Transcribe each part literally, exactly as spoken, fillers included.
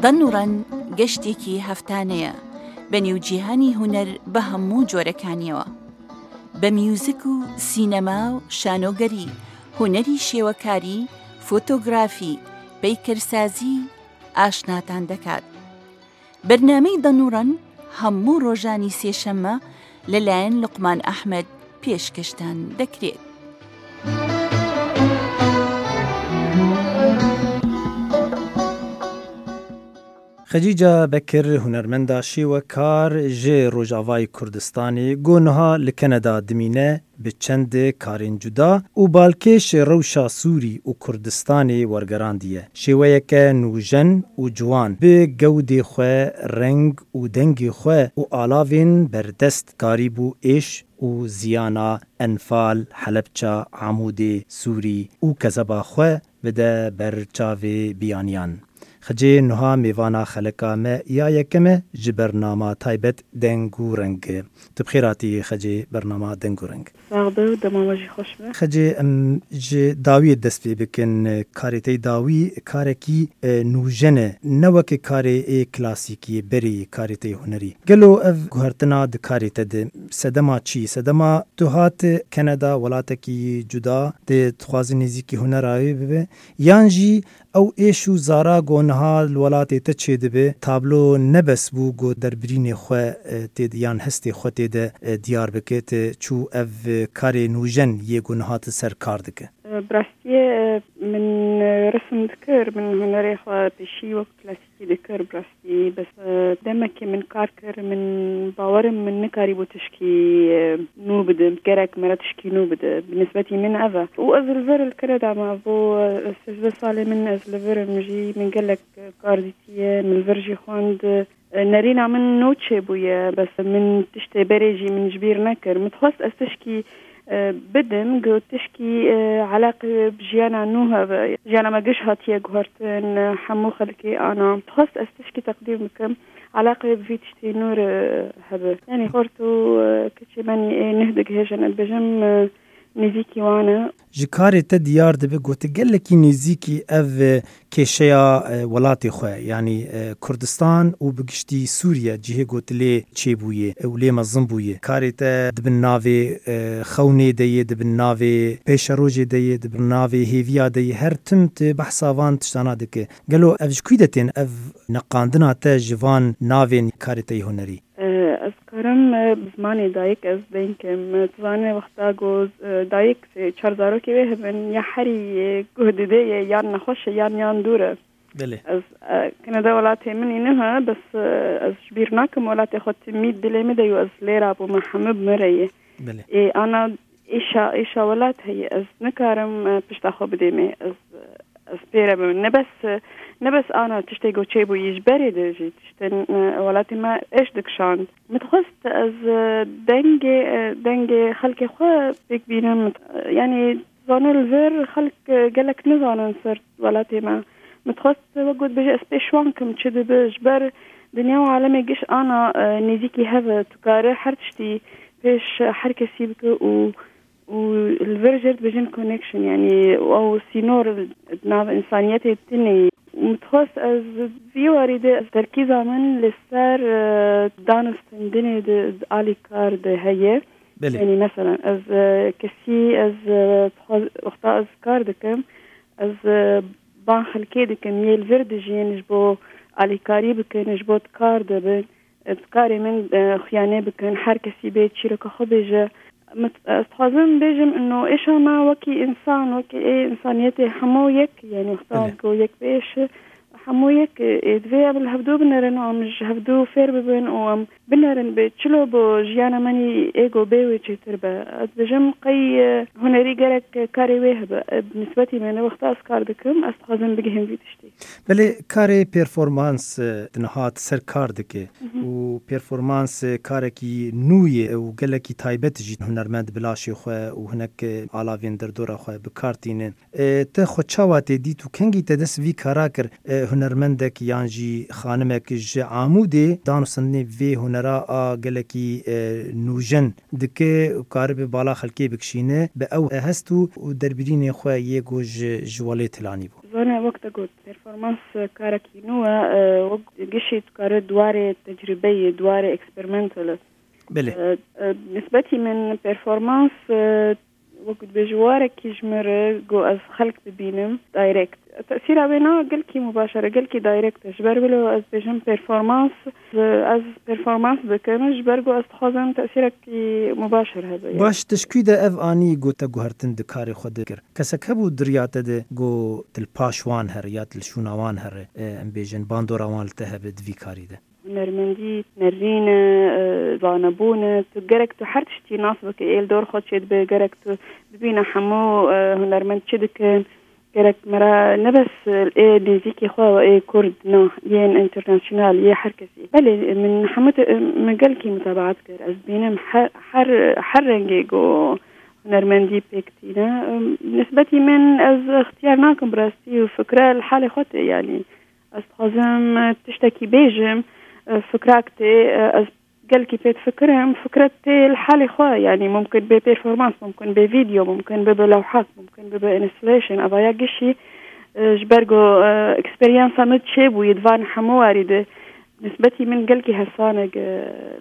دەنوڕەن گەشتێکی هەفتانەیە بە نێوجیهانی هونەر بە هەموو جۆرەکانیەوە، بە میوزیک و سینەما و شانۆگەری، هونەری شێوەکاری، فۆتۆگرافی، پەیکەرسازی ئاشناتان دەکات. بەرنامەی دەنوڕەن هەموو ڕۆژانی سێشەممە لەلایەن لوقمان ئەحمەد پێشکەشتان دەکرێت. Xecîca Bekir, hunermenda şêwekar ji Rojavayê Kurdistanê, ku niha li Kanada dimîne, bi çend karên cuda û balkêş rewşa Sûrî û Kurdistanê wergerandiye. Şêweyeke nûjen û ciwan, bi gewdê xwe, reng û dengê xwe û alavên berdest karîbû êş û ziyana Enfal, Helebça, Amûdê, Sûrî û kezeba xwe bide ber çavê biyaniyan. Xecê niha mêvana xeleka me ya yekem e ji bernama taybet Deng û Reng. Tu bi xêr hatî Xecê bernama Deng û Reng. Sax be û dema we jî xweş be. Xecê, em ji dawiyê dest pê bikin. Karê te yê dawî karekî, e, nûjen e. Ne weke karê ê klasîkî, berê karê te yê hunerî. Gelo ev guhertina di karê te de sedema çi? Sedema tu hat Kanada, welatekî cuda, dê dixwazî nêzîkî hunera wê bibe, yan jî ew êş û zara ku niha li welatê te çêdibe, tablo ne bes bû ku derbirînê xwe, e, tê de, yan hestê xwe tê de, e, diyar bike, te çû ev, e, karê nûjen yê ku niha tu ser kar dike? E, bi rastiyê, e, min, e, resim dikir, min hunerê xwe pêşî wek klasîkî dikir, bi rastî. Bes, e, demekê min kar kir, min bawer im min nikarîbû tişkî, e, nû bidim. Gerek me re tişkî nû bide. Bi nisbetî min ev e. Û ez li vir li Kanada me bo, e, sêzdeh salê min ez li vir im jî. Min gelek kar dîtiye, min li vir jî xwend. E, nerîna min nû çêbûye, bes min tiştê berê jî min ji bîr nekir. Min dixwest ez tişkî, e, bidim, ku tişkî, e, eleqê wê bi jiyana nû hebe. Jiyana me giş hatiye guhertin, e, hemû xelkê ana. Dixwest ez tişkî teqdîm bikim, eleqê wê bi vî tiştê nû re hebe. Yanî xort û, e, keçê me ê neh digihêjin, ez dibêjim, e, nêzîkî wan e. Ji karê te diyar dibe ku tu gelekî nêzîkî ev, e, kêşeya, e, welatê xwe, yanî, e, Kurdistan û bi giştî Sûriye, cihê ku tu lê çêbûyê, e, û lê mezin bûyê. Karê te di bin navê, e, xewnê de yê, di bin navê pêşerojê de yê, di bin navê hêviya de yê. Her tim tu behsa van tiştana dike. Gelo ev ji kû de tên, ev neqandina te ji van navên karê te yê hunerî? E, ez karim, e, bi zimanê dayik ez deng im. E, tu zanî wexta ku, e, dayik, e, çar zarokê wê hebin, ya herî, e, guh didê ye, yan nexweş e, yan, yan dûr e. Belê. Ez, e, Kanada welatê min î niha, bes, e, ez ji bîr nakim welatê xwe timî dilê min de yo, ez lêra bûme, hemû bi min re ye. Belê. Ê, ana êşa, êşa welat heye, ez nikarim, e, pişta xwe bidêmê. Ez, ez pê re bim. Ne bes, ne bes ana tiştê ku çêbûyî ji berê de jî tiştên, e, welatê me êş dikişand. Min dixwest ez, e, dengê, e, dengê xelkê xwe pêk bînim. E, yanî zane li vir xelk, e, gelek nizanin ser welatê me. Min dixwest wek got bêje ez pêşwan kim çi dibe ji ber dinya û alemê giş ana, e, nêzîkî hev e. Tu kare her tiştî pêş her kesî bike û û li vir jê re dibêjin connection, yanî ew sînor di nav însaniyetê tune ye. Min dixwest ez vî warî de ez terkîza min li ser, e, danûstendinê di, di alîkar de heye. Belê. Yanî mesela ez, e, kesî ez, e, dixwaz-, wexta ez kar dikim, ez, e, ban xelkê dikim, yê li vir dijîn ji bo alîkarî bikin, ji bo di kar de bin. Di karê min, e, xuyanê bikin, her kesî bê çîroka xwe bêje. Min, ez dixwazim bêjim, ino êşa me wekî însan, wekî ê însaniyetê hemû yek, yanî wexta Belê. Ku yek bêş, hemû yek, ê, divê em li hevdû binerin û em ji hevdû fêr bibin û em binerin bê çilo bo jiyana me nî ê ku bê wê çêtir be. Ez dibêjim qey, e, hunerî gerek karê wê hebe. E, bi nisbetî min, wexta ez kar dikim, ez dixwazim bigihim vî tiştî. Belê karê performans, e, di niha tu ser kar dike Mhm. û performans, e, karekî nû ye û gelekî taybet jî hunermend bi laşê xwe û hinek, e, alavên derdora xwe bi kar tîne. E, te xwe çawa tê dît û kengî te dest vî kara kir? E, hunermendek yan jî xanimek ji Amûdê danûstandinê vê hunera a gelekî, e, nûjen dike û karibe bala xelkê bikişîne, bi ew hest û, û derbirînê xwe yê ku ji, ji welêt hilanî bû. Zane wek te got, performans karekî nû e, e, wek gişî tu kare di warê tecrûbeyê, di warê experimental e. Belê. E, e, nisbetî min performans, e, wek dibêje warekî ji min re ku ez xelk bibînim direct. Tesîra wê na gelkî mubaşer e, gelkî direct e. Ji ber wilo ez dibêjim performans, e, ez performans dikim, ji ber ku ez dixwazim tesîrekî mubaşer hebe. Baş, te ji kû de ev anî ku te guhertin di karê xwe de kir? Kesek hebû di riya te de ku tu li paş wan here ya tu li şûna wan here, e, em bêjin bandora wan li te hebe di vî karî de? Hunermendî nerîn e, e, zanebûn e. Tu gerek tu her tiştî nas bike, ê li dor xwe çêdibe, gerek tu bibîne hemû, e, hunermend çi dikin. Gerek me re ne bes, e, ê nêzîkî xwe, ê kurd, na, yên internasyonal, yê her kesî. Belê, min hemû te, min gelkî mutabaat kir. Ez dibînim her, her, her rengê ku hunermendî pêk tîne. Nisbetî min ez ixtiyar nakim bi rastî û fikre li halê xwe tê, yanî. Ez dixwazim, e, tiştekî bêjim, e, fikrak tê, e, ez gelkî pê difikirim, fikret tê li halê xwe, yanî mumkin bê performans, mumkin bê vîdeo, mumkin bibe lewhak, mumkin bibe installation, eva ya gişî, e, ji ber ku, e, eksperyansa min çêbûyî di van hemû warî de, nisbetî min gelkî hesanek, e,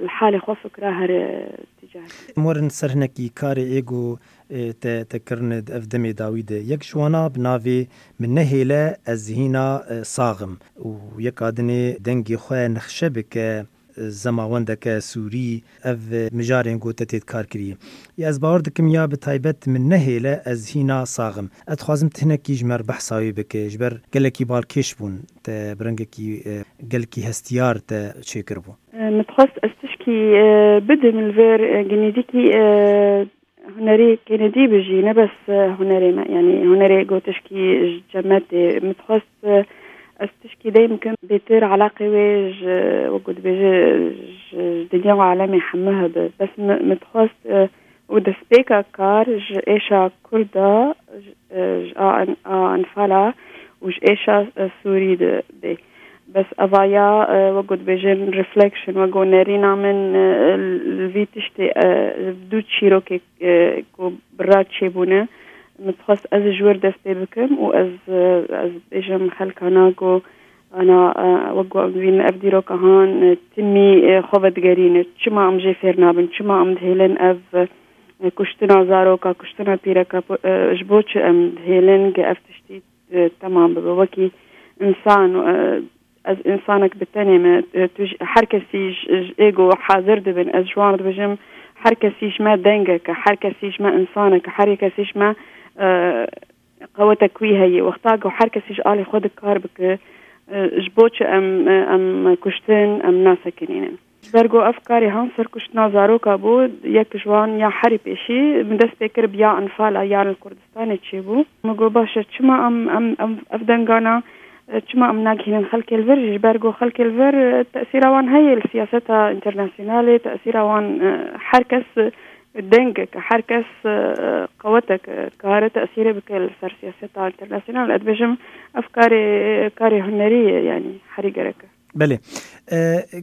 li halê xwe fikra here tîcar. Em werin ser hinekî karê ê ku, e, te, te kirine di ev demê dawî de. Yek ji wana bi navê Min nehêle ez hîna, e, sax im û yeka dinê dengê xwe nexşe bike, e, zemawendeke sûrî, ev, e, mijarên ku te tê kar kirî. Ya ez bawer dikim ya bi taybet Min nehêle ez hîna sax im. Ez dixwazim tu hinekî ji me re behsa wê bike, ji ber gelekî balkêş bûn, te bi rengekî, e, gelkî hestiyar te çêkiribû. E, min dixwest ez tişkî, e, bidim li vêr, e, genîdîkî, e, Hunerî Kennedy bijî, ne bes, e, hunerê me, yanî hunerê ku tişkî ji cem me tê. Min dixwest, e, ez tişkî deym bikim, bêtir eleqê wê ji, wek ku dibêje, ji, ji dinya û alemê hemû hebe. Bes mi-, min dixwest, e, û destpêka kar ji êşa Kurda, ji, e, ji a, a enfala û ji êşa, e, Sûrî de bê. Bes eva ya, e, wek ku dibêjin reflection, wek ku nerîna min, e, li vî tiştê, e, du çîrokê, e, ku bi re çêbûne, min dixwest ez ji wir dest pê bikim û ez, e, ez bêjim xelkana ku ana, e, wek ku em dibînin ev dîroka han, e, timî, e, xwe vedigerîne. Çima em jê fêr nabin? Çima em dihêlin ev, e, kuştina zaroka, kuştina pîreka, e, ji bo çi em dihêlin ku ev tiştî e, temam bibe. Wekî însan, e, ez însanek bi tenê me, e, tu ji, her kesî ji, ji ê ku hazir dibin, ez ji wan dibêjim, her kesî ji me dengek e, her kesî ji me însanek e, her kesî ji me, e, qewetek wî heye. Wexta ku her kesî ji alî xwe dikar bike, e, ji bo çi em, e, em kuştin, em nasekinînin? Ji ber ku ev karê han ser kuştina zaroka bû, yek ji wan ya herî pêşî min dest pê kir bi ya enfala ya li Kurdistanê çêbû. Min got, baş e, çima em, em, em ev dengana, e, çima em nagihînin xelkê li vir jî? Ji ber ku xelkê li vir, e, tesîra wan heye li siyaseta întêrnasyonalê, tesîra wan, e, her kes, e, dengek e, her kes, e, qewetek e, dikare tesîrê bike li ser siyaseta întêrnasyonal. Ez dibêjim, ev karê, karê hunerî ye, yanî herî gerek e. Belê. E,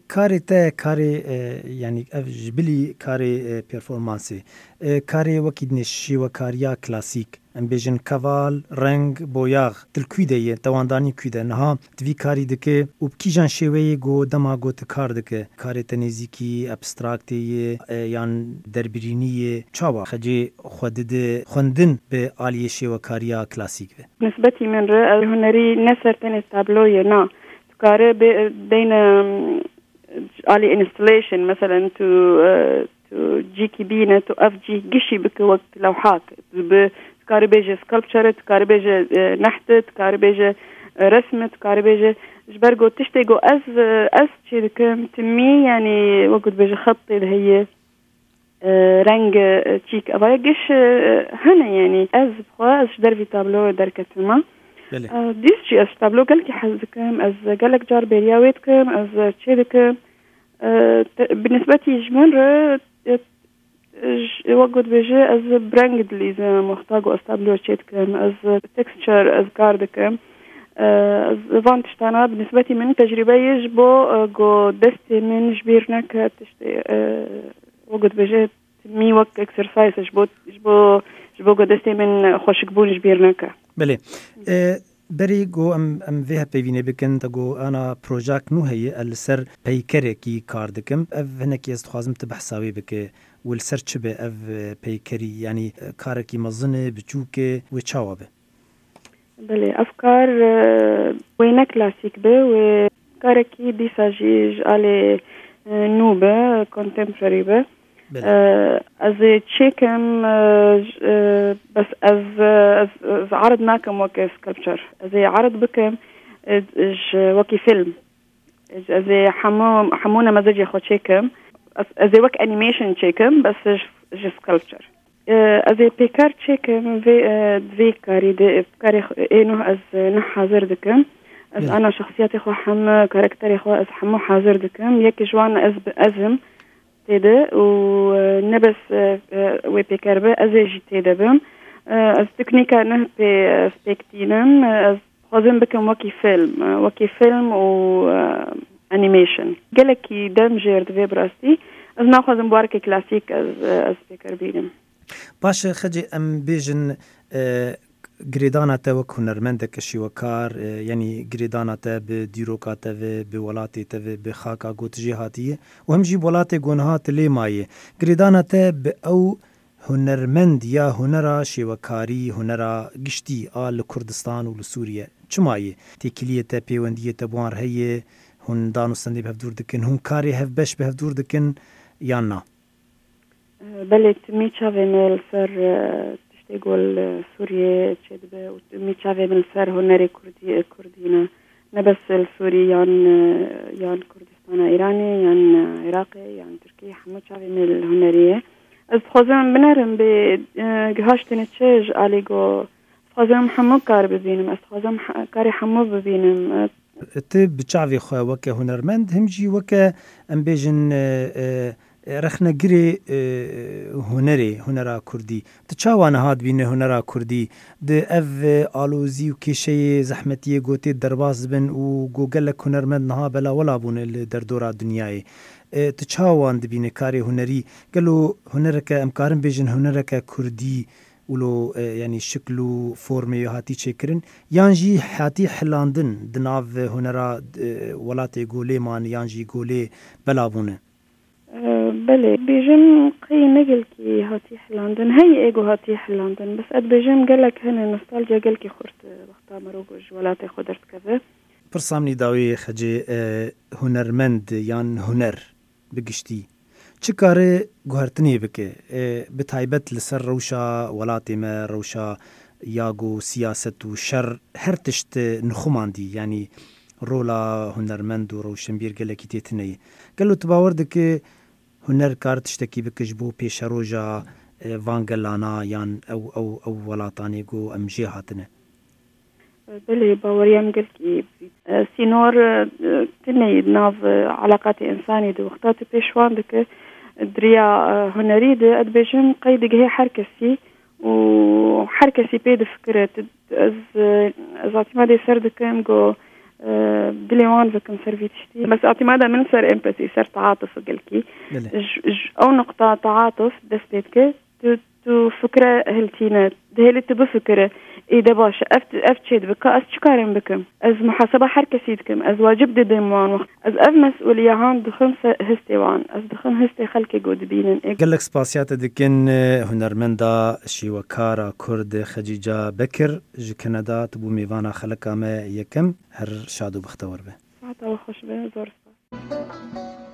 karê te, karê, e, yanî ev ji bilî karê, e, performansê. E, karê wekî dinê şêwekariya klasîk, em bêjin keval, reng, boyax, tu li kû de ye, te wan danî kû de. Niha tu vî karî dike û bi kîjan şêweyê ku dema ku tu kar dike? Karê te nêzîkî abstraktê ye, e, yan derbirînî ye? Çawa xecê xwe dide xwendin bi aliyê şêwekariya klasîk ve? Nisbetî min re, ev hunerî ne ser tenê tablo ye, na. Dikare bê, deyne, em, alî installation, meselen, tu, e, tu cîkî bîne, tu ev cî gişî bike wek lewhak. Tu bi, tu karî bêje sculpture, tu karî bêje, e, neht, tu karî bêje, e, resim, tu karî bêje, ji ber ku tiştê ku ez, e, ez çê dikim, timî, yanî, wek ku dibêje, xet tê de heye. E, reng, e, çîk, eva ya giş, e, hene, yanî ez bi xwe, ez ji dervî tablo derketime. Belê. E, dîs jî ez ji tablo gelkî hez dikim, ez gelek car bêriya wê dikim, ez çê dikim. E, te, bi nisbetî ji min re, e, ji, wek ku dibêje, ez bi reng dilîzim, wexta ku ez tablo çê dikim, ez texture, ez kar dikim. E, ez van tiştana bi nisbetî min tecrûbeyê ji bo, e, ku destê min ji bîr neke tiştê, e, wek dibêje, timî wek exercise ji bo, ji bo, ji bo ku destê min xweşikbûn ji bîr neke. Belê. E, berî ku em, em vê hevpeyvînê bikin, te got ana projek nû heye, e, li ser peykerekî kar dikim. Ev hinekî ez dixwazim tu behsa wê bike. Û li ser çi be ev, e, peykerî? Yanî, e, karekî mezin e, biçûk e, wê çawa be? Belê, ev kar, e, wê ne klasîk be, wê karekî dîsa jî ji alê, e, nû be, contemporary be. Belê. E, ez ê çêkim, e, j-, e, bes ez, e, ez, ez erid nakim weke sculpture. Ez ê erid bikim, e, ji wekî fîlm. Ez, ez ê hemû, hemû nemezecê xwe çêkim. Ez, ez ê wek animation çêkim, bes ji, ji sculpture. E, ez ê pêker çêkim vê, e, vê karî de, karê xwe, ê nuh ez, e, nuh hazir dikim. Ez Belê. ana şexsiyetê xwe hem, e, karakterê xwe ez hemû hazir dikim. Yek ji wan ez bi, ez im tê de û, e, ne bes, e, e, wê pêker be, ez ê jî tê de bim. E, ez teknîka nuh pê, e, spêk tînim. E, ez dixwazim bikim wekî fîlm, e, wekî fîlm û, e, animation. Gelekî dem jêr divê bi rastî. Ez naxwazim bi wareke klasîk ez, e, ez pêker bînim. Baş e, Xecê, em bêjin, e, girêdana te wek hunermendeke şêwekar, e, yanî girêdana te bi dîroka te ve, bi welatê te ve, bi xaka ku tu jê hatiye û hem jî bi welatê ku niha tu lê mayê. Girêdana te bi ew hunermend ya hunera şêwekarî, hunera giştî a li Kurdistan û li Sûriye çima ye? Têkiliyê te, pêwendiyê te bi wan re heye? Hûn dan û stendê bi hev dûr dikin? Hûn karê hevbeş bi hev dûr dikin yan na? Belê, timî çavê me li ser, e, tiştê ku li Sûriyê çêdibe û timî çavê min li ser hunerê Kurdî, e, Kurdî ne. Ne bes li Sûrî yan, e, yan Kurdistana Îranê, yan, e, Iraqê, yan Tirkiyê, hemû çavê me li hunerê ye. Ez dixwazim binerim bê, e, gihaştine çi ji alî ku dixwazim hemû kar bibînim. Ez dixwazim he-, karê hemû bibînim. E, Tu bi çavê xwe weke hunermend, him jî weke, em bêjin, e, e, rexnegirê, e, hunerê, hunera kurdî. Tu çawa niha dibîne hunera kurdî? Di ev, e, alozî û kêşeyê, zehmetiyê ku tê derbas dibin û ku gelek hunermend niha bela wela bûne li derdora dinyayê. E, tu çawa wan dibîne karê hunerî? Gelo hunereke, em karin bêjin hunereke kurdî, wilo, e, yanî şikl û formê wê hatî çêkirin, yan jî hatî hilandin di nav hunera, e, welatê ku lê man, yan jî ku lê bela bûne? E, belê, bêjim qey ne gelkî hatî hilandin. Hey ê ku hatî hilandin. Bes ez dibêjim gelek hene nostalciya gelkî xurt, e, wexta mero ku ji welatê xwe derdikeve. Pirsa min î dawî Xecê, e, hunermend yan huner bi giştî çi kare guhertinê bike, e, bi taybet li ser rewşa welatê me, rewşa ya ku siyaset û şer her tişt nixumandî, yanî rola hunermend û rewşenbîr gelekî tê tune ye. Gelo tu bawer dike huner kar tiştekî bike ji bo pêşeroja, e, van gelana yan ew, ew, ew welatanê ku em jê hatine? Belê, baweriya min gelkî bû. E, sînor, e, tune ye di nav, e, eleqatê însanî de. Wexta tu pêşwan dike, e, di riya, e, hunerî de, ez dibêjim qey digihê her kesî û her kesî pê difikire. Tu, ez, e, ez îtîmadê ser dikim ku, e, dilê wan vekim ser vî tiştî. Bes îtîmada min ser empatî, ser taatuf gelkî. Belê. Ji, ji ew nuqta taatuf dest pê dike. Tu, tu fikre hiltîne, dihêlî tu bifikire, ê de baş e, ev, ev çê dibe, ka ez çi karim bikim? Ez muhaseba her kesî dikim, ez wacib didim wan wext. Ez ev mesûliya han dixim se-, histê wan, ez dixim histê xelkê ku dibînin. Ê Gelek spasiya te dikin, e, hunermenda şêwekara Kurd Xecîca Bekir ji Kanada, tu bû mêvana xeleka me yekem, her şad û bextewar be. Saeta we xweş be, zor spas.